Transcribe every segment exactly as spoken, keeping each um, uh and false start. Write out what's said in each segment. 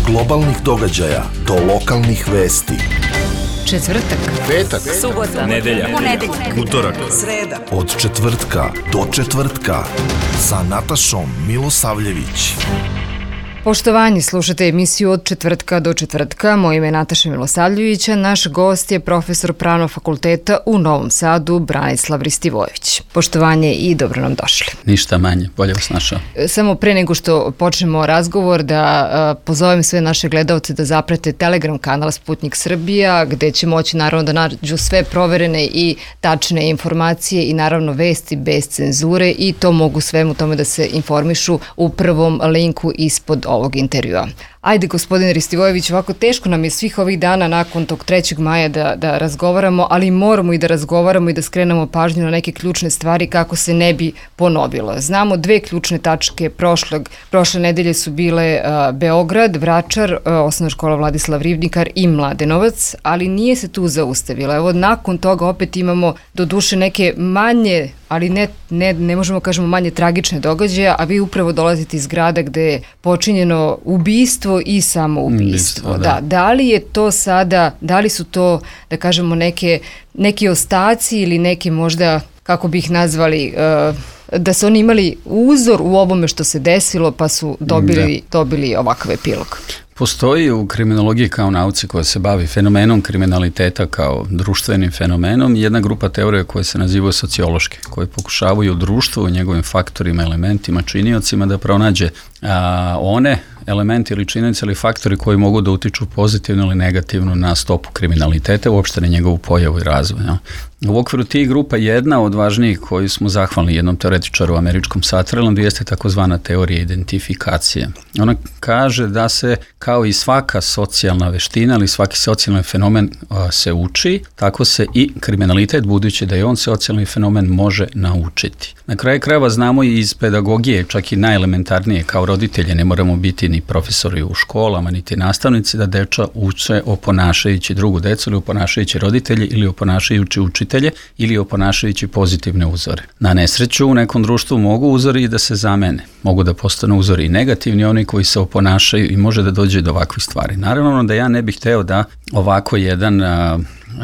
globalnih događaja do lokalnih vesti. Četvrtak, petak, subota, nedelja, ponedeljak, utorak, sreda. Od četvrtka do četvrtka sa Natašom Milosavljević. Poštovanje, slušate emisiju Od četvrtka do četvrtka. Moje ime je Nataša Milosavljevića. Naš gost je profesor Pravnog fakulteta u Novom Sadu, Branislav Ristivojević. Poštovanje i dobro nam došli. Ništa manje, bolje vas našao. Samo pre nego što počnemo razgovor da uh, pozovem sve naše gledalce da zaprate Telegram kanal Sputnik Srbija, gde će moći naravno da nađu sve proverene i tačne informacije i naravno vesti bez cenzure, i to mogu svemu tome da se informišu u prvom linku ispod ovog intervjua. Ajde, gospodine Ristivojević, ovako teško nam je svih ovih dana nakon tog trećeg maja da, da razgovaramo, ali moramo i da razgovaramo i da skrenemo pažnju na neke ključne stvari kako se ne bi ponovilo. Znamo dve ključne tačke prošlog, prošle nedelje su bile uh, Beograd, Vračar, uh, osnovna škola Vladislav Ribnikar i Mladenovac, ali nije se tu zaustavila. Evo, nakon toga opet imamo doduše neke manje, ali ne, ne, ne možemo kažemo manje tragične događaje, a vi upravo dolazite iz grada gde je počinjeno ubistvo i samoubistvo. Da. Da, da li je to sada, da li su to, da kažemo, neke, neki ostaci ili neke možda, kako bi ih nazvali, uh, da su oni imali uzor u ovome što se desilo pa su dobili, dobili ovakav epilog? Postoji u kriminologiji kao nauci koja se bavi fenomenom kriminaliteta kao društvenim fenomenom jedna grupa teorija koja se nazivaju sociološke, koje pokušavaju društvo u njegovim faktorima, elementima, činiocima da pronađe a, one elementi ili činjenice ili faktori koji mogu da utiču pozitivno ili negativno na stopu kriminaliteta, uopšte na njegovu pojavu i razvoj. Ja. U okviru tih grupa jedna od važnijih koju smo zahvalni jednom teoretičaru američkom Sutherlandu jeste takozvana teorija identifikacije. Ona kaže da se kao i svaka socijalna veština ili svaki socijalni fenomen a, se uči, tako se i kriminalitet, budući da je on socijalni fenomen, može naučiti. Na kraju krajeva znamo i iz pedagogije, čak i najelementarnije, kao roditelje ne moramo biti ni profesori u školama, niti nastavnici, da deča uče oponašajući drugu decu ili oponašajući roditelje ili oponašajući učitelje ili oponašajući pozitivne uzore. Na nesreću u nekom društvu mogu uzori i da se zamene. Mogu da postanu uzori i negativni, oni koji se oponašaju, i može da dođe do ovakvih stvari. Naravno da ja ne bih hteo da ovako jedan a,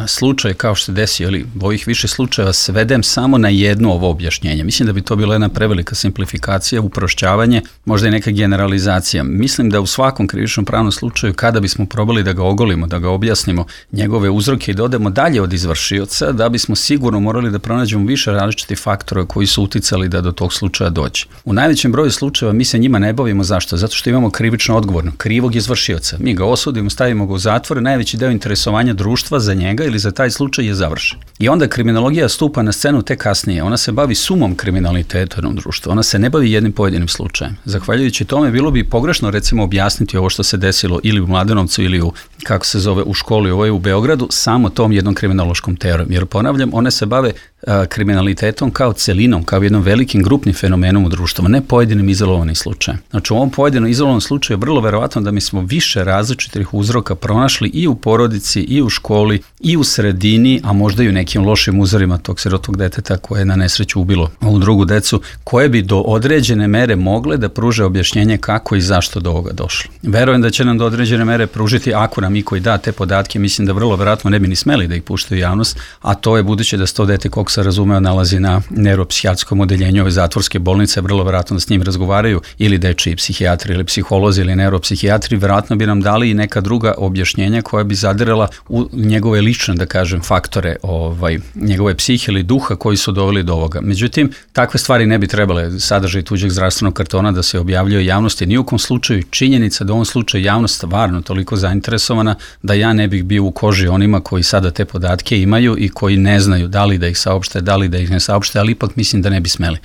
slučaj kao što se desio, ili ovih više slučajeva, svedem samo na jedno ovo objašnjenje. Mislim da bi to bila jedna prevelika simplifikacija, uprošćavanje, možda i neka generalizacija. Mislim da u svakom krivičnom pravnom slučaju, kada bismo probali da ga ogolimo, da ga objasnimo, njegove uzroke i da odemo dalje od izvršioca, da bismo sigurno morali da pronađemo više različitih faktora koji su uticali da do tog slučaja dođe. U najvećem broju slučajeva mi se njima ne bavimo. Zašto? Zato što imamo krivično odgovorno, krivog izvršioca. Mi ga osudimo, stavimo ga u zatvor, najveći deo interesovanja društva za njega ili za taj slučaj je završen. I onda kriminologija stupa na scenu tek kasnije. Ona se bavi sumom kriminaliteta u jednom društvu. Ona se ne bavi jednim pojedinim slučajem. Zahvaljujući tome bilo bi pogrešno recimo objasniti ovo što se desilo ili u Mladenovcu ili u, kako se zove, u školi, ovo je u Beogradu, samo tom jednom kriminološkom teorijom. Jer ponavljam, one se bave a, kriminalitetom kao celinom, kao jednom velikim grupnim fenomenom u društvu, ne pojedinim izolovanim slučajem. Znači u ovom pojedinom izolovanom slučaju je vrlo verovatno da mi smo više različitih uzroka pronašli i u porodici, i u školi, i u sredini, a možda i u nekim lošim uzorima tog sirotog deteta koje je na nesreću ubilo ovu drugu decu, koje bi do određene mere mogle da pruže objašnjenje kako i zašto do ovoga došlo. Verujem da će nam do određene mere pružiti, ako nam iko i da te podatke, mislim da vrlo verovatno ne bi ni smeli da ih puštaju javnost, a to je budući da se to dete, koliko se razumeo, nalazi na neuropsihijatskom odeljenju ove zatvorske bolnice, vrlo verovatno da s njim razgovaraju ili dečiji psihijatri ili psiholozi ili neuropsihijatri, verovatno bi nam dali i neka druga objašnjenja koja bi zadirala u njegove lične, da kažem, faktore ovaj, njegove psihe ili duha koji su doveli do ovoga. Međutim, takve stvari ne bi trebale, sadržaj tuđeg zdravstvenog kartona, da se objavljaju javnosti. Ni u kom slučaju činjenica da u ovom slučaju javnost stvarno toliko zainteresovana da ja ne bih bio u koži onima koji sada te podatke imaju i koji ne znaju da li da ih saopšte, da li da ih ne saopšte, ali ipak mislim da ne bi smeli.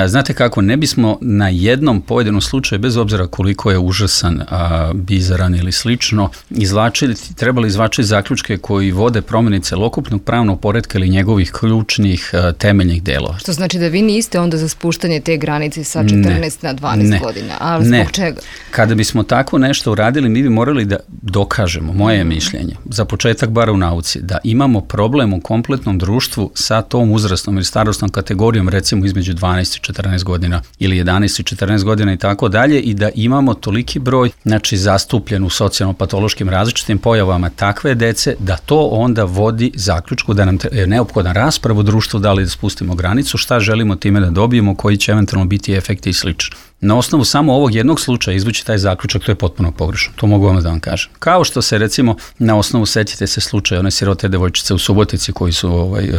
Znate kako, ne bismo na jednom pojedinom slučaju, bez obzira koliko je užasan, a, bizaran ili slično, izvlačili, trebali izvlačiti zaključke koji vode promjeni celokupnog pravnog poretka ili njegovih ključnih uh, temeljnih delova. Što znači da vi niste onda za spuštanje te granice sa četrnaest ne. na dvanaest ne. godina, ali zbog ne. čega? Kada bismo tako nešto uradili, mi bi morali da dokažemo, moje je mišljenje, za početak bar u nauci, da imamo problem u kompletnom društvu sa tom uzrasnom ili starosnom kategorijom, recimo između dvanaest i četrnaest godina ili jedanaest i četrnaest godina i tako dalje, i da imamo toliki broj, znači zastupljen u socijalno-patološkim različitim pojavama takve dece, da to onda vodi zaključku da nam je neophodan rasprav u društvu, da li da spustimo granicu, šta želimo time da dobijemo, koji će eventualno biti efekti i slično. Na osnovu samo ovog jednog slučaja izvući taj zaključak, to je potpuno pogrešno. To mogu vam da vam kažem. Kao što se recimo na osnovu, setite se slučaja one sirote devojčice u Subotici koji su ovaj,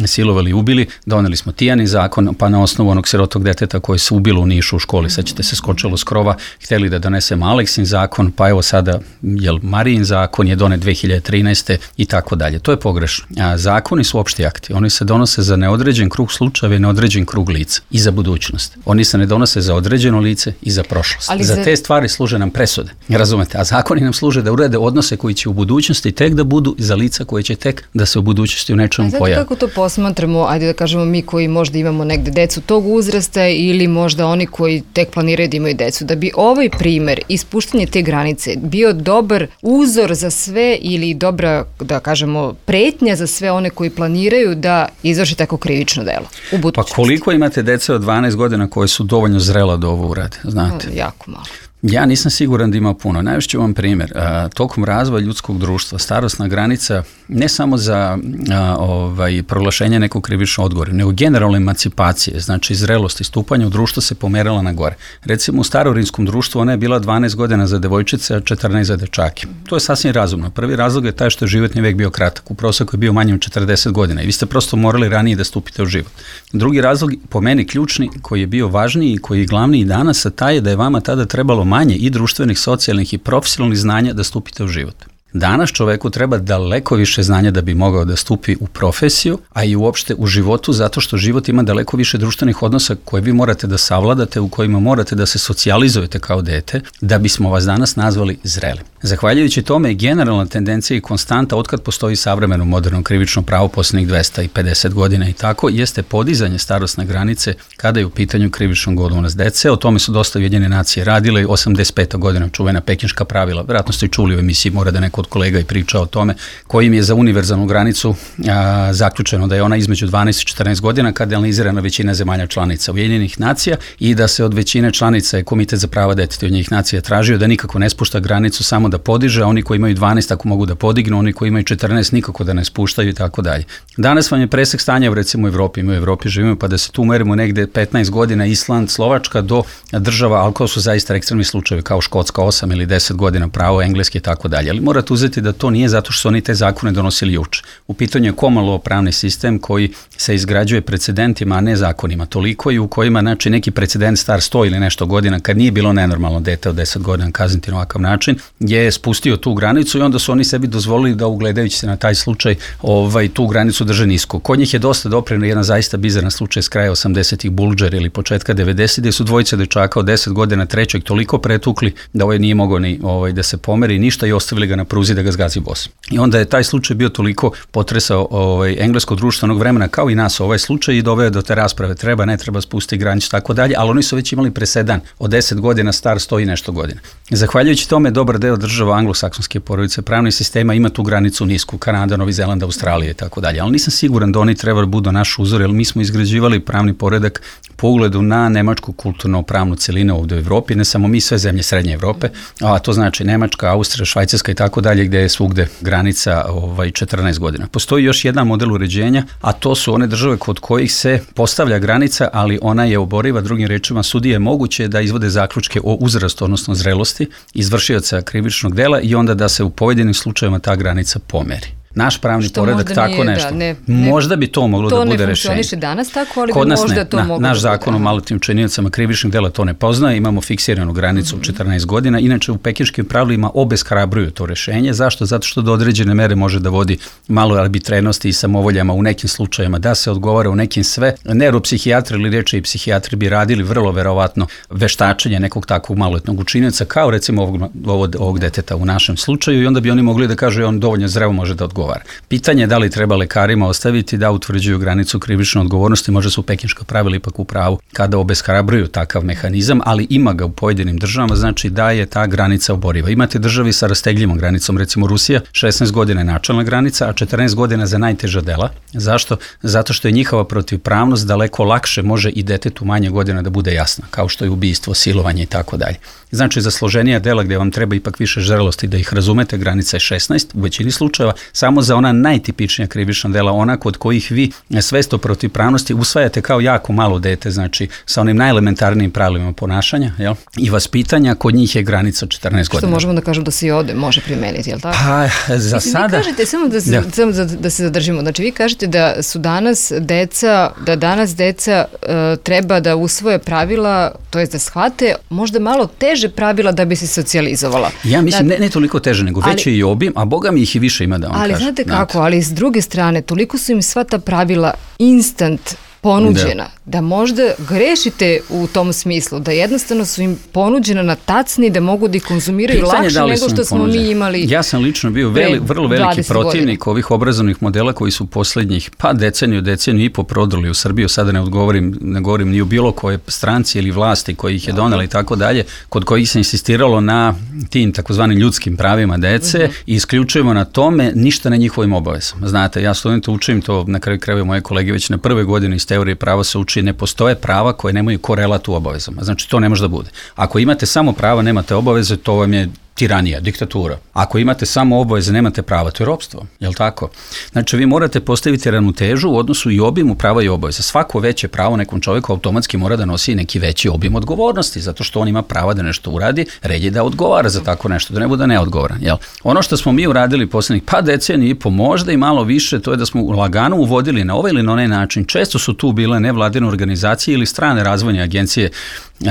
silovali i ubili, doneli smo Tijani zakon, pa na osnovu onog sirotog deteta koji se ubilo u Nišu u školi, sećate se, skočilo s krova, htjeli da donesemo Aleksin zakon, pa evo sada jel, Marijin zakon je donet dve hiljade trinaeste i tako dalje. To je pogrešno. A zakoni su opšti akti. Oni se donose za neodređen krug slučajeva i neodređen krug lica i za budućnost. Oni se ne donose za određen lice i za prošlost. Ali za... za te stvari služe nam presude, razumete, a zakoni nam služe da urede odnose koji će u budućnosti tek da budu za lica koje će tek da se u budućnosti u nečemu pojavi. Kako to posmatramo, ajde da kažemo mi koji možda imamo negde decu tog uzrasta ili možda oni koji tek planiraju da imaju decu, da bi ovaj primer ispuštanje te granice bio dobar uzor za sve ili dobra, da kažemo, pretnja za sve one koji planiraju da izvrši tako krivično delo u budućnosti. Pa koliko imate dece od dvanaest godina koje su dovoljno zrela do ovo urade, znate? Jako malo. Ja nisam siguran da ima puno. Najviše ću vam primjer. A, tokom razvoja ljudskog društva starosna granica ne samo za a, ovaj, proglašenje nekog krivičnog odgovora, nego generalne emancipacije, znači zrelost i stupanja u društvo se pomerala na gore. Recimo u starorinskom društvu ona je bila dvanaest godina za devojčice, a četrnaest za dečake. To je sasvim razumno. Prvi razlog je taj što je životni vek bio kratak. U proseku je bio manje od četrdeset godina i vi ste prosto morali ranije da stupite u život. Drugi razlog, po meni ključni, koji je bio važniji i koji je glavniji i danas, a taj je da je vama tada trebalo manje i društvenih, socijalnih i profesionalnih znanja da stupite u život. Danas čoveku treba daleko više znanja da bi mogao da stupi u profesiju, a i uopšte u životu, zato što život ima daleko više društvenih odnosa koje vi morate da savladate, u kojima morate da se socijalizujete kao dete, da bismo vas danas nazvali zrelim. Zahvaljujući tome je generalna tendencija i konstanta otkad postoji savremeno moderno krivično pravo posljednjih dvesta pedeset godina i tako, jeste podizanje starosne granice kada je u pitanju krivičnog odgovornost dece. O tome su dosta Ujedinjene nacije radile, osamdeset peta godina čuvena pekinška pravila, vjerojatno ste čuli u emisiji, mora da neko od kolega i priča o tome, kojim je za univerzalnu granicu a, zaključeno da je ona između dvanaest i četrnaest godina kada je analizirana većina zemalja članica Ujedinjenih nacija i da se od većine članica je Komitet za prava deteta Ujedinjenih nacija tražio da nikako ne spušta granicu, samo da podiže, a oni koji imaju dvanaest ako mogu da podignu, oni koji imaju četrnaest nikako da ne spuštaju i tako dalje. Danas vam je presek stanja recimo u Evropi, mi u Evropi živimo, pa da se tu merimo negde petnaest godina, Island, Slovačka do država, ali kao su zaista ekstremni slučajevi kao Škotska osam ili deset godina, pravo engleski i tako dalje. Ali morate uzeti da to nije zato što su oni te zakone donosili juče. U pitanju je komalo pravni sistem koji se izgrađuje precedentima, a ne zakonima. Toliko i u kojima, znači, neki precedent star sto ili nešto godina, kad nije bilo nenormalno dete od deset godina kazniti na ovakav način, je spustio tu granicu i onda su oni sebi dozvolili da, ugledajući se na taj slučaj, ovaj, tu granicu drže nisko. Kod njih je dosta dopreno jedan zaista bizaran slučaj s kraja osamdesetih Bulđer ili početka devedesetih, gde su dvojice dečaka od deset godina trećeg toliko pretukli da ovaj nije mogao ni ovaj, da se pomeri ništa i ostavili ga na pruzi da ga zgazi bos. I onda je taj slučaj bio toliko potresao ovaj, englesko društvo onog vremena kao i nas ovaj slučaj i doveo do te rasprave treba, ne treba spustiti granicu tako dalje, ali oni su već imali presedan od deset godina star sto i nešto godina. Zahvaljujući tome dobar deo država anglosaksonske porodice pravnih sistema ima tu granicu nisku, Kanada, Novi Zeland, Australija i tako dalje, ali nisam siguran da oni treba da budu naš uzor, jer mi smo izgrađivali pravni poredak po ugledu na nemačku kulturno-pravnu celinu ovde u Evropi, ne samo mi, sve zemlje Srednje Evrope, a to znači Nemačka, Austrija, Švajcarska i tako dalje, gde je svugde granica ovaj, četrnaest godina. Postoji još jedan model uređenja, a to su one države kod kojih se postavlja granica, ali ona je oboriva, drugim rečima sudije je moguće da izvode zaključke o uzrastu, odnosno zrelosti izvršioca krivičnog dela i onda da se u pojedinim slučajevima ta granica pomeri. Naš pravni što poredak tako nije, nešto. Da, ne, ne, možda bi to moglo to da bude rešenje. To ne funkcioniše danas tako, ali kod bi nas možda ne. to Na, moglo naš da zakon o maloletnim učiniocama krivičnih dela to ne poznaje, imamo fiksiranu granicu mm-hmm. četrnaest godina, inače u pekinškim pravilima obeshrabruju to rešenje. Zašto? Zato što do određene mere može da vodi malo arbitrenosti i samovoljama u nekim slučajima, da se odgovara u nekim sve. Neuropsihijatri ili reče i psihijatri bi radili vrlo verovatno veštačenje nekog takvog maloletnog učinioca, kao recimo ovog, ovog, ovog deteta u našem slučaju, i onda bi oni mogli da kažu on dovoljno zreo može da odgovara. odgovara. Pitanje je da li treba lekarima ostaviti da utvrđuju granicu krivične odgovornosti, možda su pekinška pravila ipak u pravu kada obeshrabruju takav mehanizam, ali ima ga u pojedinim državama, znači da je ta granica oboriva. Imate državi sa rastegljivim granicom, recimo Rusija, šesnaest godina je načelna granica, a četrnaest godina za najteža dela. Zašto? Zato što je njihova protivpravnost daleko lakše može i detetu manje godina da bude jasna, kao što je ubistvo, silovanje i tako dalje. Znači, za složenija dela gdje vam treba ipak više žrelosti da ih razumete, granica je šesnaest u većini slučajeva, samo za ona najtipičnija krivična dela, ona kod kojih vi svest o protivpravnosti usvajate kao jako malo dete, znači sa onim najelementarnijim pravilima ponašanja, jel? I vaspitanja, kod njih je granica četrnaest godina. Što možemo da kažemo da se i ovde može primeniti, jel tako? Pa, za Mislim, sada... Vi kažete, samo da se, da. samo da, da se zadržimo, znači vi kažete da su danas deca, da danas deca uh, treba da usvoje pravila, to jest da shvate možda malo teže pravila da bi se socijalizovala. Ja mislim, da, ne, ne toliko teže, nego veći je i obim, a boga mi ih i više ima da vam ali kažem. znate kako, ali s druge strane, toliko su im sva ta pravila instant ponuđena, da. da možda grešite u tom smislu, da jednostavno su im ponuđena na tacni da mogu da ih konzumiraju Pitanje lakše nego što smo ponuđeni. mi imali. Ja sam lično bio veli, vrlo veliki protivnik godina. Ovih obrazovnih modela koji su posljednjih pa deceniju, deceniju i po prodali u Srbiju, sada ne odgovorim, ne govorim ni u bilo koje stranci ili vlasti koji ih je donela i tako dalje, kod kojih se insistiralo na tim takozvanim ljudskim pravima dece uh-huh. i isključujemo na tome ništa na njihovim obavezama. Znate, ja studente učim to, na kraju krajeva moje kolege već na prve godine iz teorije prava se uči, ne postoje prava koje nemaju korelat u obavezama. Znači, to ne može da bude. Ako imate samo prava, nemate obaveze, to vam je tiranija, diktatura. Ako imate samo obaveze, nemate prava, to je ropstvo, je li tako? Znači, vi morate postaviti ravnotežu u odnosu i obimu prava i obaveza. Svako veće pravo nekom čovjeku automatski mora da nosi neki veći obim odgovornosti, zato što on ima prava da nešto uradi, red je da odgovara za tako nešto, da ne bude neodgovoran, jel? Ono što smo mi uradili posljednjih pa deceniju i po, možda i malo više, to je da smo lagano uvodili na ovaj ili na onaj način. Često su tu bile nevladine organizacije ili strane razvojne agencije,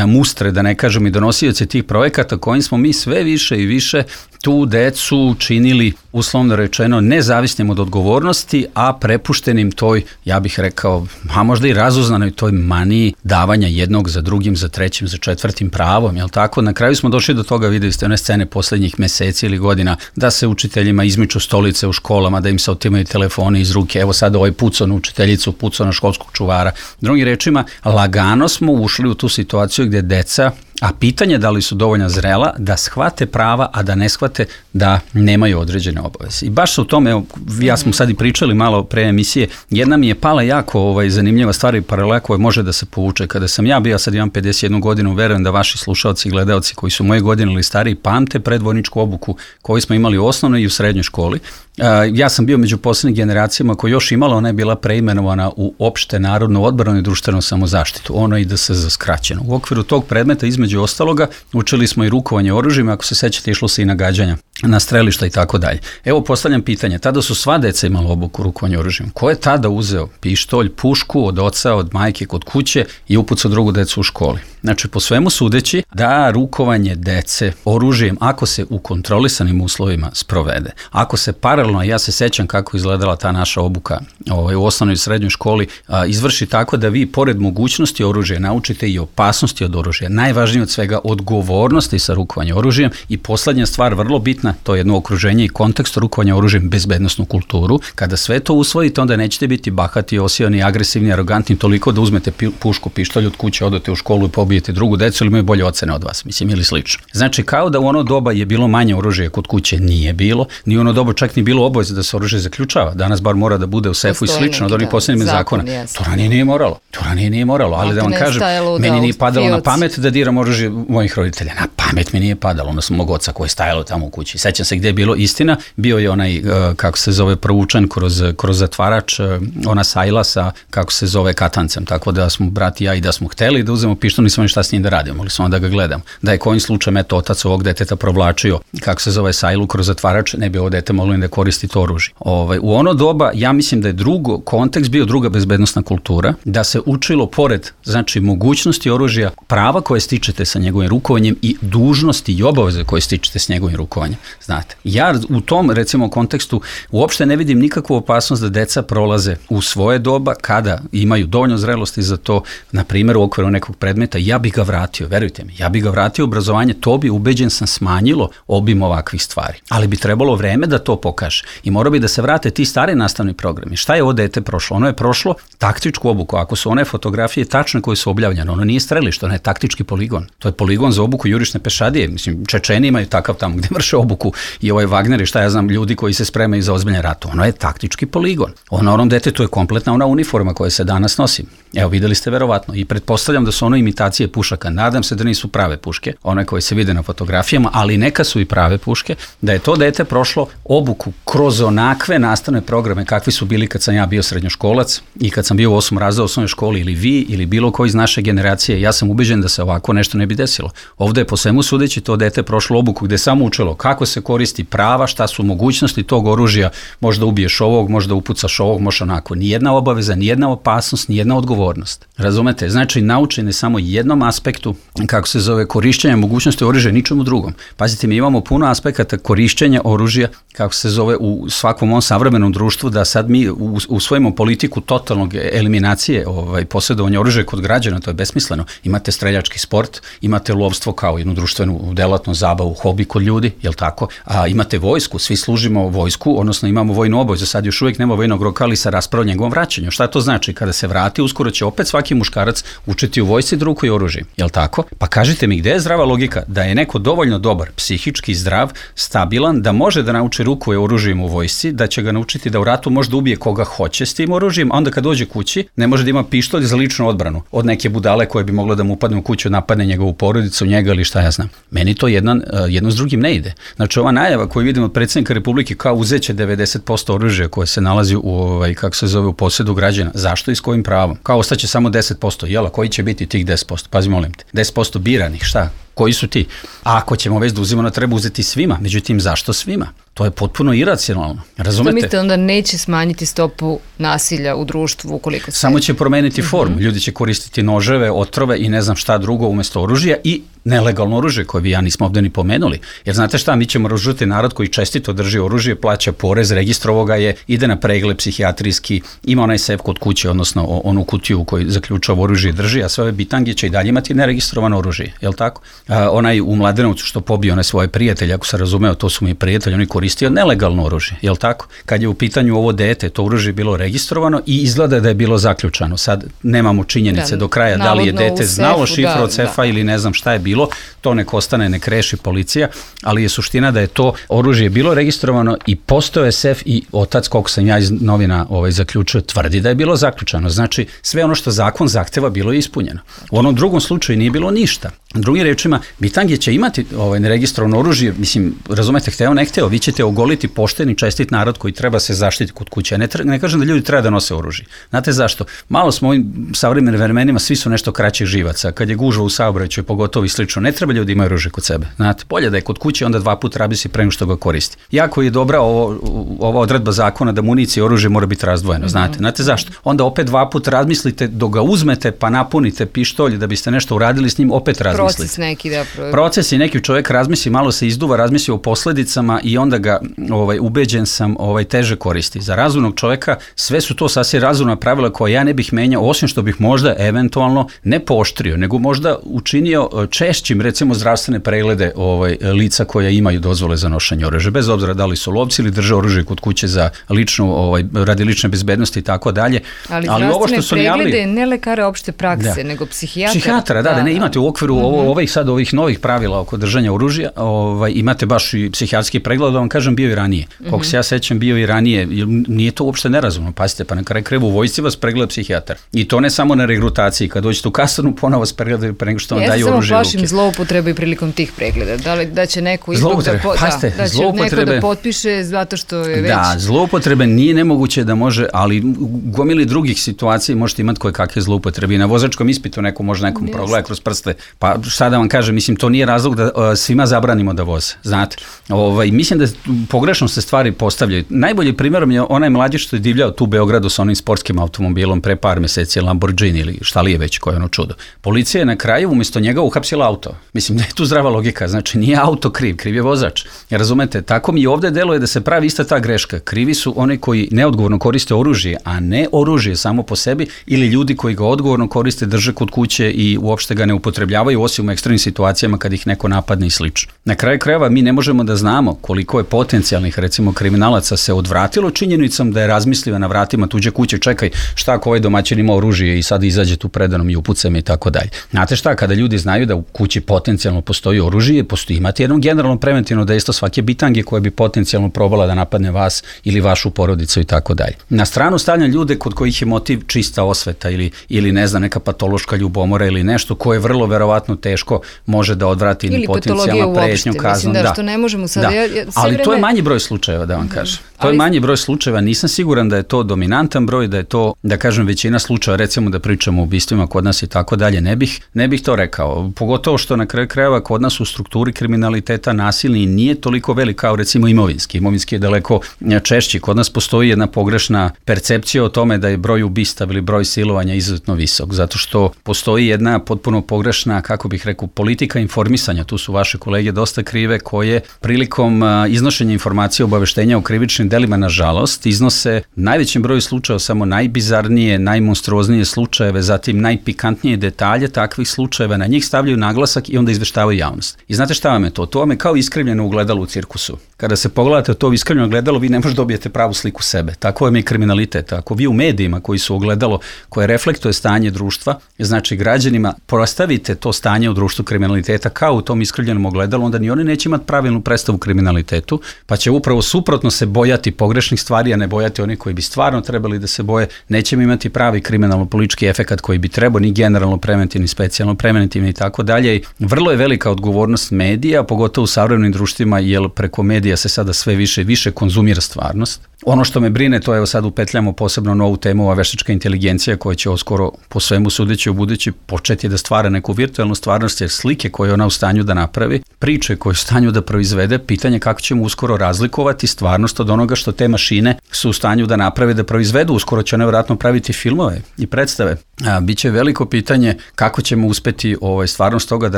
mustre, da ne kažem, i donosioci tih projekata kojim smo mi sve više i više tu decu činili, uslovno rečeno, nezavisnim od odgovornosti, a prepuštenim toj, ja bih rekao, a možda i razuznanoj toj maniji davanja jednog za drugim, za trećim, za četvrtim pravom, jel tako? Na kraju smo došli do toga, videli ste one scene posljednjih meseci ili godina, da se učiteljima izmiču stolice u školama, da im se otimaju telefoni iz ruke, evo sad ovaj pucao na učiteljicu, pucao na školskog čuvara. Drugim rečima, lagano smo ušli u tu situaciju gdje deca, a pitanje da li su dovoljno zrela da shvate prava, a da ne shvate da nemaju određene obaveze. I baš u tome, evo, ja smo sad i pričali malo pre emisije, jedna mi je pala jako ovaj, zanimljiva stvar i paralela koja može da se povuče. Kada sam ja bio, sad imam pedeset jednu godinu, verujem da vaši slušalci i gledaoci koji su moje godine ili stariji pamte predvojničku obuku koju smo imali u osnovnoj i u srednjoj školi. Uh, ja sam bio među posljednjim generacijama koja još imala, ona je bila preimenovana u opšte narodnu odbranu i društvenu samozaštitu. Ono ide se za skraćeno. U okviru tog predmeta, između ostaloga, učili smo i rukovanje oružjima, ako se sećate, išlo se i na gađanja, na strelišta i tako dalje. Evo, postavljam pitanje, tada su sva deca imala obuku rukovanja oružjima. Ko je tada uzeo pištolj, pušku od oca, od majke, kod kuće i upucao drugu decu u školi? Znači, po svemu sudeći da rukovanje dece oružjem, ako se u kontrolisanim uslovima sprovede, ako se paralelno, ja se sećam kako izgledala ta naša obuka ovaj, u osnovnoj i srednjoj školi, a, izvrši tako da vi, pored mogućnosti oružja, naučite i opasnosti od oružja. Najvažnije od svega, odgovornosti sa rukovanjem oružjem i poslednja stvar, vrlo bitna, to je jedno okruženje i kontekst rukovanja oružjem, bezbednosnu kulturu. Kada sve to usvojite, onda nećete biti bahati, osioni, agresivni, arogantni, toliko da uzmete pi, pušku, pištolj od kuće, odete u školu i pobijete drugu decu ili imaju bolje ocene od vas, mislim, ili slično. Znači, kao da u ono doba je bilo manje oružja kod kuće, nije bilo, ni u ono doba čak ni bilo obaveze da se oružje zaključava. Danas bar mora da bude u sefu i slično od onih posljednjih zakona. To ranije nije moralo. To ranije nije moralo, ali da vam kažem, meni nije padalo na pamet da diram oružje mojih roditelja. Na pamet mi nije padalo, ono sam mog oca koji je stajalo tamo u kući. Sećam se gdje je bilo istina, bio je onaj, kako se zove, provučen kroz, kroz zatvarač, ona sajla sa, kako se zove, katancem, tako da smo brat i ja i da smo hteli da uzmemo pištolj, nismo šta s njim da radimo, mogli smo da ga gledam. Da je kojim slučajem eto otac ovog deteta provlačio, kako se zove, sajlu kroz zatvarač, ne bi ovo dete moglo da koristi to oružje. Ovaj, u ono doba, ja mislim da je drugo, kontekst bio druga bezbednosna kultura, da se učilo pored, znači, mogućnosti oružja, prava koje stičete sa njegovim rukovanjem i dužnosti i obaveze koje stičete s njegovim rukovanjem. znate. Ja u tom, recimo, kontekstu uopšte ne vidim nikakvu opasnost da deca prolaze u svoje doba kada imaju dovoljno zrelosti za to, na primjer u okviru nekog predmeta, ja bi ga vratio, verujte mi, ja bi ga vratio u obrazovanje, to bi, ubeđen sam, smanjilo obim ovakvih stvari. Ali bi trebalo vreme da to pokaže i mora bi da se vrate ti stari nastavni programi. Šta je ovo dete prošlo? Ono je prošlo taktičku obuku. Ako su one fotografije tačne koje su objavljene, ono nije strelište, ono je taktički poligon. To je poligon za obuku jurišne pešadije. Mislim, Čečeni imaju takav tamo gde vrše obuku i ovaj Wagner i šta ja znam, ljudi koji se spremaju za ozbiljne rate. Ono je taktički poligon. Ono onom detetu je kompletna ona uniforma koja se danas nosi. Evo, videli ste verovatno i pretpostavljam da su ono imitacije pušaka. Nadam se da nisu prave puške, one koje se vide na fotografijama, ali neka su i prave puške, da je to dete prošlo obuku kroz onakve nastavne programe kakvi su bili kad sam ja bio srednjoškolac i kad sam bio u osmom razredu osnovne škole, ili vi ili bilo ko iz naše generacije. Ja sam ubeđen da se ovako nešto ne bi desilo. Ovde je po svemu sudeći to dete prošlo obuku gde samo učilo kako se koristi prava, šta su mogućnosti tog oružja, možda ubiješ ovog, možda upucaš ovog, možda onako. Nijedna obaveza, nijedna opasnost, nijedna odgovornost. Razumete? Znači, naučen je samo jednom aspektu, kako se zove, korišćenja mogućnosti oružja, ničemu drugom. Pazite, mi imamo puno aspekata korišćenja oružja, kako se zove, u svakom ovom savremenom društvu, da sad mi usvojimo politiku totalnog eliminacije ovaj, posjedovanja oružja kod građana, to je besmisleno. Imate streljački sport, imate lovstvo kao jednu društvenu delatnu zabavu, hobi kod ljudi, jel tako? A imate vojsku, svi služimo vojsku, odnosno imamo vojnu obavezu, sad još uvijek nema vojnog roka, ali sa rasprava o njegovom vraćanju. Šta to znači? Kada se vrati, uskoro će opet svaki muškarac učiti u vojsci da rukuje oružjem, jel tako? Pa kažite mi, gde je zdrava logika da je neko dovoljno dobar, psihički zdrav, stabilan, da može da nauči rukuje oružjem u vojsci, da će ga naučiti da u ratu može da ubije koga hoće s tim oružjem, a onda kad dođe kući ne može da ima pištolj za ličnu odbranu od neke budale koje bi moglo da mu upadne u kuću, napadne njegovu porodicu, njega ili šta ja znam. Meni to jedan, jedno s drugim ne ide. Znači, ova najava koju vidimo od predsjednika Republike kao uzeće devedeset posto oružja koje se nalazi u, ovaj, kako se zove, u posjedu građana. Zašto i s kojim pravom? Kao ostaće samo deset posto. Jela, koji će biti tih deset posto? Pazi, molim te. deset posto biranih, šta? Koji su ti? A ako ćemo već da uzimamo, treba uzeti svima. Međutim, zašto svima? To je potpuno iracionalno. Razumete? Što mislite, onda neće smanjiti stopu nasilja u društvu ukoliko se... Samo će promeniti formu. Ljudi će koristiti noževe, otrove i ne znam šta drugo umjesto oružja i nelegalno oružje koje vi ja nismo ovdje ni pomenuli. Jer znate šta, mi ćemo razžuti narod koji čestito drži oružje, plaća porez, registrovo ga je, ide na pregled psihijatrijski, ima onaj sef kod kuće, odnosno onu kutiju koji zaključava oružje i drži, a sve ove bitange će i dalje imati neregistrovano oružje. Jel tako? A, onaj u Mladenovcu što pobio one svoje prijatelje, ako se razumeo, to su mi prijatelji, oni koristio nelegalno oružje, jel tako? Kad je u pitanju ovo dete, to oružje je bilo registrovano i izgleda da je bilo zaključano. Sad nemamo činjenice da, do kraja da li je dete znalo šifru od sefa da. Ili ne znam šta je bilo, to nek ostane, nek reši policija, ali je suština da je to oružje bilo registrovano i postojao je sef i otac, koliko sam ja iz novina ovaj, zaključio, tvrdi da je bilo zaključano. Znači, sve ono što zakon zahteva bilo je ispunjeno. U onom drugom slučaju nije bilo ništa. Drugim rečima, bitange će imati ovaj, neregistrovano oružje, mislim, razumete, hteo, ne hteo, vi ćete ogoliti pošteni, čestit narod koji treba se zaštiti kod kuće. Ne, ne kažem da ljudi treba da nose oružje. Znate zašto? Malo smo ovim savremenim vremenima, svi su nešto kraćih živaca. Kad je gužva u saobraćaju, pogotovo i slično, ne treba ljudi imaju oružje kod sebe. Znate, bolje da je kod kuće, onda dva puta rabisi pre nego što ga koristi. Jako je dobra ovo, ova odredba zakona da municija i oružje mora biti razdvojeno. Znate, znate zašto? Onda opet dva puta razmislite dok ga uzmete pa napunite pištolj da biste nešto uradili s njim, opet razmislite. Proces neki da pro... Proces i neki čovjek razmisli, malo se izduva, razmisli o posledicama i onda ga ovaj ubeđen sam ovaj teže koristi. Za razumnog čovjeka sve su to sasvim razumna pravila koja ja ne bih menjao, osim što bih možda eventualno ne pooštrio, nego možda učinio češćim, recimo, zdravstvene preglede ovaj lica koja imaju dozvole za nošenje oružja, bez obzira da li su lovci ili drže oružje kod kuće za ličnu, ovaj radi lične bezbednosti i tako dalje. Ali, ali ovo što su preglede ne lekare opšte prakse, da. Nego psihijatra. Psihijatra, da, da, da, ne imate u okviru mm-hmm. ovo, ovih sad ovih novih pravila oko držanja oružja, ovaj imate baš i psihijatrijski pregled, da vam kažem, bio i ranije. Mm-hmm. Koliko se ja sećam, bio i ranije, nije to uopšte nerazumno. Pazite, pa na kraju krajeva u vojsci vas pregleda psihijatar. I to ne samo na regrutaciji, kad dođete u kasarnu, ponovo vas pregledaju pre nego što vam daju oružje u ruke. Ja se samo plašim zloupotrebe i prilikom tih pregleda. Da li da će neko ipak da, po, Pazite, da, da će neko da potpiše zato što je već... Da, zloupotrebe nije nemoguće da može, ali u gomili drugih situacija možete imati koje kakve zloupotrebe. I na vozačkom ispitu neko može nekom progleda kroz prste. Pa šta da vam kažem, kažem, mislim, to nije razlog da uh, svima zabranimo da voze, znate. Ovaj, mislim da pogrešno se stvari postavljaju. Najbolji primjerom je onaj mlađić što je divljao tu u Beogradu sa onim sportskim automobilom pre par meseci, Lamborghini ili šta li je već, koje je ono čudo. Policija je na kraju umjesto njega uhapsila auto. Mislim da je tu zdrava logika, znači nije auto kriv, kriv je vozač. Razumete, tako mi i ovdje deluje da se pravi ista ta greška. Krivi su oni koji neodgovorno koriste oružje, a ne oružje samo po sebi, ili ljudi koji ga odgovorno koriste, drže kod kuće i uopšte ga ne upotrebljavaju, osim u ekstremnim situacijama kad ih neko napadne i slično. Na kraju krajeva mi ne možemo da znamo koliko je potencijalnih, recimo, kriminalaca se odvratilo činjenicom da je razmislio na vratima tuđe kuće, čekaj, šta ako ovaj domaćin ima oružje i sad izađe tu predanom i upucam i tako dalje. Znate šta, kada ljudi znaju da u kući potencijalno postoji oružje, postoji imati jedno generalno preventivno dejstvo svake bitange koja bi potencijalno probala da napadne vas ili vašu porodicu i tako dalje. Na stranu stavljam ljude kod kojih je motiv čista osveta ili, ili ne znam, neka patološka ljubomora ili nešto koje vrlo verovatno teško može da odvrati ili potencijalno prećnju kaznom. Da, da, što ne možemo sad... Da. Ja, ja, ali vreme... to je manji broj slučajeva, da vam kažem. To ali... je manji broj slučajeva, nisam siguran da je to dominantan broj, da je to, da kažem, većina slučajeva, recimo da pričamo o ubistvima kod nas i tako dalje, ne bih, ne bih to rekao. Pogotovo što na kraju krajeva kod nas u strukturi kriminaliteta nasilni nije toliko velik kao recimo imovinski. Imovinski je daleko češći. Kod nas postoji jedna pogrešna percepcija o tome da je broj ubistava ili broj silovanja izuzetno visok, zato što postoji jedna potpuno pogrešna, kako bih rekao, politika informisanja. Tu su vaše kolege dosta krive, koje prilikom iznošenja informacija, obaveštenja o krivičnim delima, nažalost, iznose najvećem broju slučajeva samo najbizarnije, najmonstruoznije slučajeve, zatim najpikantnije detalje takvih slučajeva, na njih stavljaju naglasak i onda izveštavaju javnost. I znate šta vam je to? To vam je kao iskrivljeno ugledalo u cirkusu. Kada se pogledate to iskrivljeno ogledalo, vi ne možete dobijete pravu sliku sebe. Tako vam je kriminalitet. Ako vi u medijima koji su ogledalo, koje reflektuje stanje društva, znači građanima postavite to stanje u društvu kriminaliteta kao u tom iskrivljenom ogledalu, onda ni oni neće imati pravilnu predstavu kriminalitetu, pa će upravo suprotno se bojati pogrešnih stvari, a ne bojati oni koji bi stvarno trebali da se boje. Nećemo imati pravi kriminalno-politički efekat koji bi trebao, ni generalno preventivni, specijalno preventivni i tako dalje. Vrlo je velika odgovornost medija, pogotovo u savremenim društvima, jer preko medija se sada sve više i više konzumira stvarnost. Ono što me brine, to je sad upetljamo posebno novu temu, ova veštačka inteligencija koja će oskoro po svemu sudeći u budući početi da stvara neku virtualnu stvarnost, jer slike koje je ona u stanju da napravi, priče koje je u stanju da proizvede, pitanje kako ćemo uskoro razlikovati stvarnost od onoga što te mašine su u stanju da naprave, da proizvedu. Uskoro će one vjerojatno praviti filmove i predstave. A, biće veliko pitanje kako ćemo uspeti ovaj, stvarnost toga da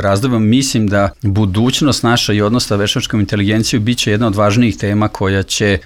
razdvojimo. Mislim da budućnost naša i odnos sa veštačkom inteligencijom biće jedna od važnijih tema koja će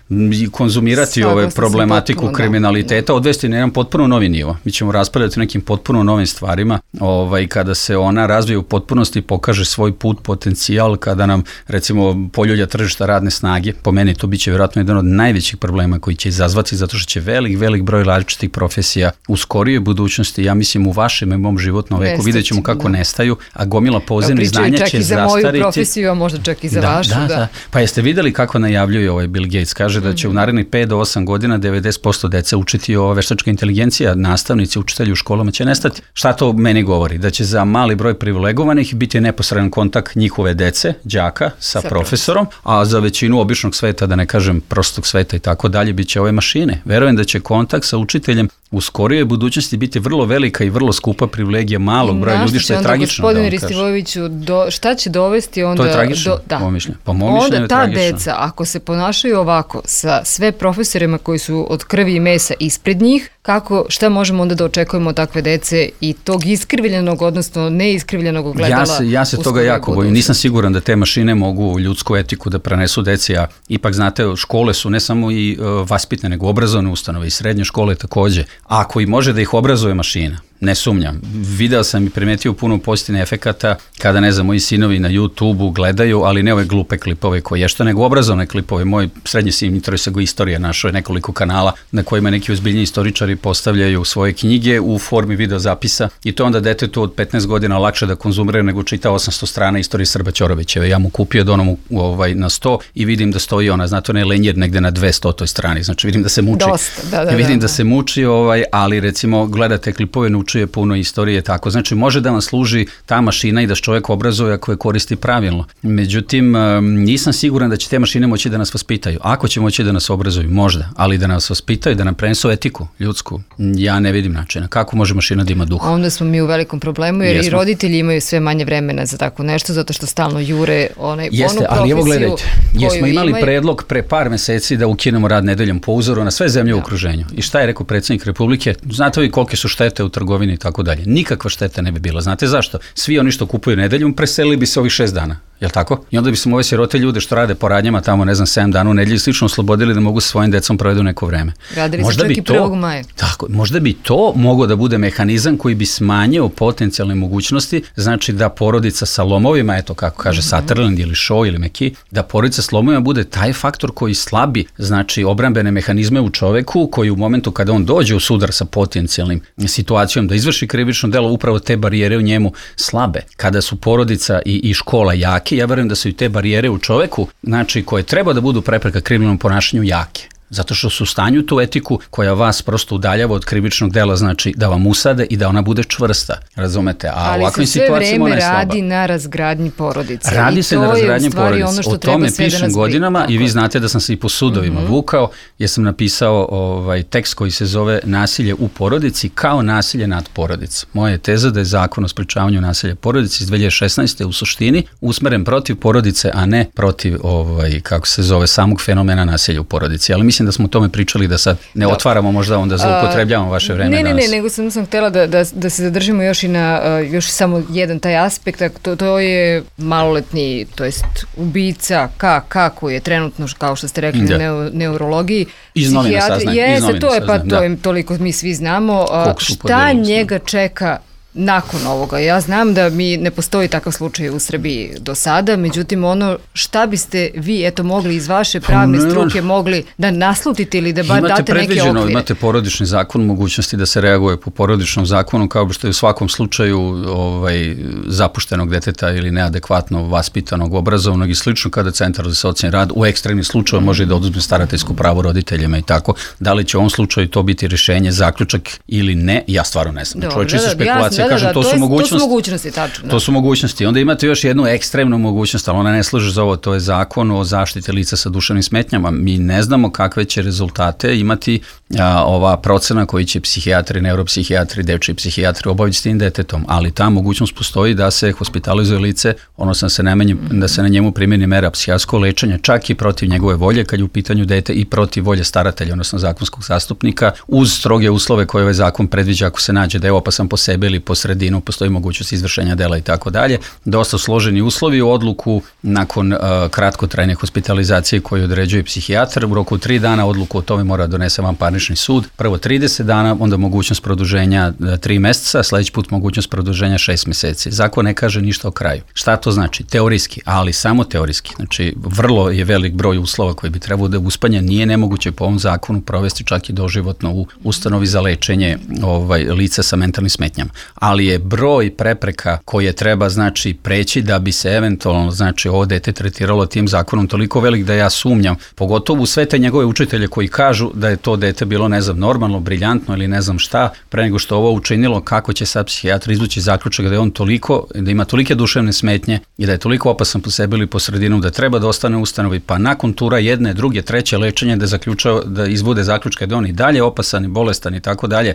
konzumirati ove problematiku potpuno, kriminaliteta, da. Odvesti na jedan potpuno novi nivo. Mi ćemo raspravljati o nekim potpuno novim stvarima, ovaj, kada se ona razvije u potpunosti, pokaže svoj put, potencijal, kada nam, recimo, poljulja tržišta radne snage, po meni to biće vjerojatno jedan od najvećih problema koji će izazvati, zato što će velik, velik broj različitih profesija u skorijoj budućnosti, ja mislim u vašem i mom životnom veku, vidjet ćemo kako da. nestaju, a gomila pozemnih znanja će zastariti. Čak i za moju profesiju, a možda čak i za da, vašu. Da, da. da. Pa jeste vidjeli kako najavljuje ovaj Bill Gates? Kaže da će mm-hmm. u narednih pet do osam godina devedeset posto dece učiti ova veštačka inteligencija, nastavnici, učitelji u školama će nestati. Šta to meni govori? Da će za mali broj privilegovanih biti neposredan kontakt njihove dece, đaka sa, sa profesorom, a za većinu običnog sveta, da ne kažem prostog sveta i tako dalje, bit će ove mašine. Verujem da će kontakt sa učiteljem u skorijoj budućnosti biti vrlo velika i vrlo skupa privilegija malog broja ljudi, što je tragično. Gospodine Ristivojeviću, do, šta će dovesti onda... To je tragično, do, da. po mišljenju. Po mom mišljenju je onda ta tragično. deca, ako se ponašaju ovako sa sve profesorima koji su od krvi i mesa ispred njih, kako, šta možemo onda da očekujemo od takve dece i tog iskrivljenog, odnosno neiskrivljenog ogledala? Ja se, ja se toga jako bojim. Nisam siguran da te mašine mogu ljudsku etiku da prenesu deci, a ipak, znate, škole su ne samo i uh, vaspitne, nego obrazovne ustanove i srednje škole takođe. Ako i može da ih obrazuje mašina, ne sumnjam. Video sam i primetio puno pozitivnih efekata kada, ne znam, moji sinovi na YouTubeu gledaju, ali ne ove glupe klipove koje je što, nego obrazovne klipove. Moj srednji sin interesuje go istorija, našao je nekoliko kanala na kojima neki ozbiljni istoričari postavljaju svoje knjige u formi video zapisa i to onda detetu od petnaest godina lakše da konzumira nego čita osamsto strana istorije Srba Ćorovićeve. Ja mu kupio donom u, ovaj, na sto i vidim da stoji ona, znate, onaj lenjer negde na dvestotoj strani, znači vidim da se muči. Dosta, da, da, vidim da, da se muči, ovaj, ali recimo gledate klipove, naučuje puno istorije, tako. Znači može da vam služi ta mašina i da čovjek obrazuje ako je koristi pravilno. Međutim, nisam siguran da će te mašine moći da nas vaspitaju. Ako će moći da nas obrazuju, možda, ali da nas vaspitaju, da nam prenesu etiku, ljudsku. ljudsku, ja ne vidim načina. Kako može mašina da ima duha? Onda smo mi u velikom problemu, jer Jesmo. i roditelji imaju sve manje vremena za tako nešto, zato što stalno jure onaj, Jeste, onu profesiju. Ali evo gledajte, jesmo imali imaju... predlog pre par meseci da ukinemo rad nedeljom po uzoru na sve zemlje u okruženju. I šta je rekao predsjednik Republike? Znate vi kolike su štete u trgovini i tako dalje. Nikakva šteta ne bi bila. Znate zašto? Svi oni što kupuju nedeljom preselili bi se ovih šest dana. Jel tako? I onda bi smo ove sirote ljude što rade po radnjama tamo, ne znam, sedam dana u nedelji slično oslobodili da mogu sa svojim decom provedu neko vreme. Radili možda bi to, prvog maja. Tako, možda bi to moglo da bude mehanizam koji bi smanjio potencijalne mogućnosti, znači da porodica sa lomovima, eto kako kaže mm-hmm. Sutherland ili Shaw ili Meki, da porodica sa lomovima bude taj faktor koji slabi, znači obrambene mehanizme u čoveku, koji u momentu kada on dođe u sudar sa potencijalnim situacijom da izvrši krivično delo, upravo te barijere u njemu slabe. Kada su porodica i, i škola jake, ja verujem da su i te barijere u čoveku, znači koje treba da budu prepreka kriminalnom ponašanju jake. Zato što su u stanju tu etiku koja vas prosto udaljava od krivičnog dela, znači da vam usade i da ona bude čvrsta. Razumete? A ali ovakvim situacijama ona je slaba. Ali se sve vreme radi na razgradnji porodice. Radi I se na razgradnji porodice. Ono što o tome pišem godinama tako. I vi znate da sam se i po sudovima mm-hmm. vukao, jer sam napisao ovaj tekst koji se zove Nasilje u porodici kao nasilje nad porodicom. Moja je teza da je zakon o sprečavanju nasilja porodice iz dve hiljade šesnaeste. u suštini usmeren protiv porodice, a ne protiv ovaj kako se zove samog fenomena nasilja u porodici. Ali mislim da smo o tome pričali, da sad ne da. otvaramo možda onda zloupotrebljavamo vaše vreme. Ne, ne, danas. ne, nego sam, sam htjela da, da, da se zadržimo još i na uh, još samo jedan taj aspekt, to, to je maloletni, to jest ubica K, kako je trenutno, kao što ste rekli, da. na neurologiji. Iz novina saznam. Jeste, to je, pa to je, toliko mi svi znamo. Uh, šta njega čeka nakon ovoga? Ja znam da mi ne postoji takav slučaj u Srbiji do sada, međutim ono šta biste vi eto mogli iz vaše pravne pa, struke mogli da naslutite ili da bar date neke okvire? Imate porodični zakon, mogućnosti da se reaguje po porodičnom zakonu, kao što je u svakom slučaju ovaj, zapuštenog deteta ili neadekvatno vaspitanog, obrazovnog i slično, kada centar za socijalni rad u ekstremnim slučaju može da oduzme starateljsko pravo roditeljima i tako. Da li će u ovom slučaju to biti rješenje, zaključak ili ne, ja stvarno ne znam. Čovječe su spekulacije. Da, kažem, da, to, to, su je, mogućnosti, to su mogućnosti, tačno. Da. To su mogućnosti. Onda imate još jednu ekstremnu mogućnost, ali ona ne služi za ovo, to je zakon o zaštiti lica sa duševnim smetnjama. Mi ne znamo kakve će rezultate imati a, ova procena koji će psihijatri, neuropsihijatri, dečji psihijatri obaviti s tim detetom, ali ta mogućnost postoji da se hospitalizuje lice, odnosno da se, najmanje, da se na njemu primjeni mera psihijatrijskog lečenja, čak i protiv njegove volje, kad je u pitanju dete i protiv volje staratelja, odnosno zakonskog zastupnika, uz stroge uslove koje ovaj zakon predviđa ako se nađe da je opasan po sebi ili po sredinu, postoji mogućnost izvršenja dela i tako dalje. Dosta složeni uslovi u odluku nakon uh, kratkotrajne hospitalizacije koju određuje psihijatar. U roku tri dana odluku o tome mora donese vanparnični sud. Prvo trideset dana, onda mogućnost produženja tri meseca, sljedeći put mogućnost produženja šest mjeseci. Zakon ne kaže ništa o kraju. Šta to znači? Teorijski, ali samo teorijski. Znači, vrlo je velik broj uslova koji bi trebao da uspanje. Nije nemoguće po ovom zakonu provesti čak i doživotno u ustanovi za lečenje ovaj, lica sa mentalnim smetnjama. Ali je broj prepreka koje treba znači preći da bi se eventualno znači ovo dete tretiralo tim zakonom toliko velik da ja sumnjam, pogotovo u sve te njegove učitelje koji kažu da je to dete bilo ne znam normalno, briljantno ili ne znam šta, pre nego što ovo učinilo, kako će sad psihijatar izvući zaključak da je on toliko, da ima tolike duševne smetnje i da je toliko opasan po sebi ili po sredinu da treba da ostane u ustanovi, pa nakon tura jedne, druge, treće lečenje da zaključao, da izbude zaključke da on i dalje opasan i bolestan i tako dalje.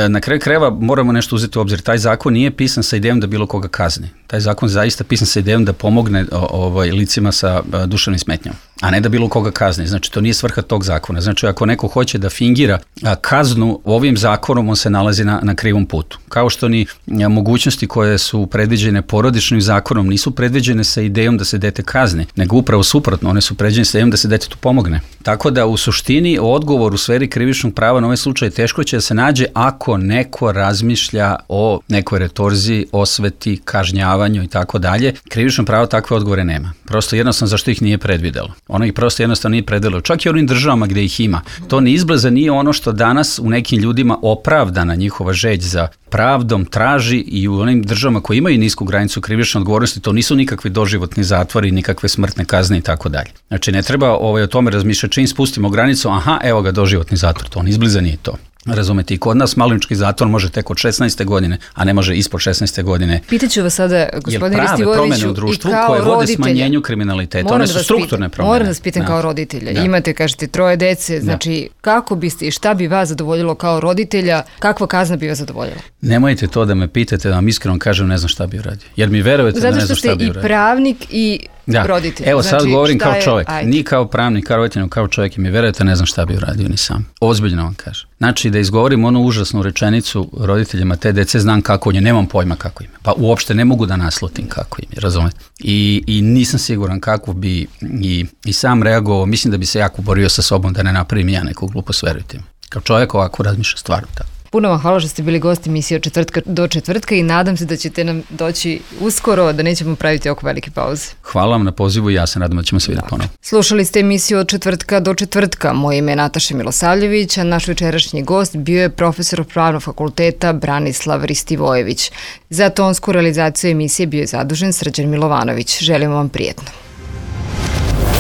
Na kraju krajeva moramo nešto uzeti u obzir. Taj zakon nije pisan sa idejom da bilo koga kazni. Taj zakon zaista pisan sa idejom da pomogne ovaj, licima sa duševnim smetnjama, a ne da bilo koga kazni. Znači, to nije svrha tog zakona. Znači, ako neko hoće da fingira kaznu ovim zakonom, on se nalazi na, na krivom putu. Kao što ni mogućnosti koje su predviđene porodičnim zakonom nisu predviđene sa idejom da se dete kazni, nego upravo suprotno, one su predviđene sa idejom da se detetu pomogne. Tako da u suštini odgovor u sferi krivičnog prava na ovaj slučaj teško će da se nađe ako neko razmišlja o nekoj retorziji, osveti, kažnjavanju i tako dalje. Krivično pravo takve odgovore nema. Prosto jednostavno zašto ih nije predvidelo. Ono ih prosto jednostavno nije predvidelo. Čak i u onim državama gdje ih ima. To ne izbliza nije ono što danas u nekim ljudima opravdana njihova žeđ za pravdom traži i u onim državama koji imaju nisku granicu krivične odgovornosti, to nisu nikakvi doživotni zatvori, nikakve smrtne kazne i tako dalje. Znači ne treba ovaj, o tome razmišljati čim spustimo granicu, aha, evo ga doživotni zatvor, to ne izbliza nije to. Razumete, i kod nas maloljetnički zatvor može tek od šesnaeste godine, a ne može ispod šesnaeste godine. Pitaću vas sada, gospodine Ristivojeviću, u društvu i kao koje vode roditelja, smanjenju kriminaliteta, one su strukturne promene. Moram vas pitam kao roditelja, da. Imate, kažete, troje dece, znači da. Kako biste i šta bi vas zadovoljilo kao roditelja, kakva kazna bi vas zadovoljila? Nemojte to da me pitate, da vam iskreno kažem, ne znam šta bi uradio. Jer mi verujete da ne znam šta bi uradio. Zato što ste i pravnik i da. Roditelj. Evo sad znači, govorim kao čovjek, je, ni kao pravnik, kao roditelj, kao čovjek i mi verujete ne znam šta bi uradio ni sam. Ozbiljno vam kažem. Znači da izgovorim onu užasnu rečenicu roditeljima te dece, znam kako je, nemam pojma kako im je. Pa uopšte ne mogu da naslutim kako im je, razumete? I, i nisam siguran kako bi i, i sam reagovao, mislim da bi se jako borio sa sobom da ne napravim ja neku glupost, verujte mi. Kao čovjek ovako razmišlja stvarno tako. Puno vam hvala što ste bili gosti emisije od četvrtka do četvrtka i nadam se da ćete nam doći uskoro, da nećemo praviti oko velike pauze. Hvala vam na pozivu i ja se nadam da ćemo se vidjeti ponovno. Slušali ste emisiju od četvrtka do četvrtka. Moje ime je Nataša Milosavljević, a naš večerašnji gost bio je profesor Pravnog fakulteta Branislav Ristivojević. Za tonsku realizaciju emisije bio je zadužen Srđan Milovanović. Želimo vam prijetno.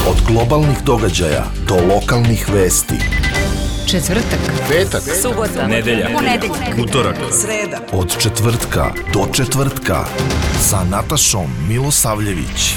Od globalnih događaja do lokalnih vesti. Četvrtak, petak, subota, nedelja, ponedeljak, utorak, sreda. Od četvrtka do četvrtka sa Natašom Milosavljević.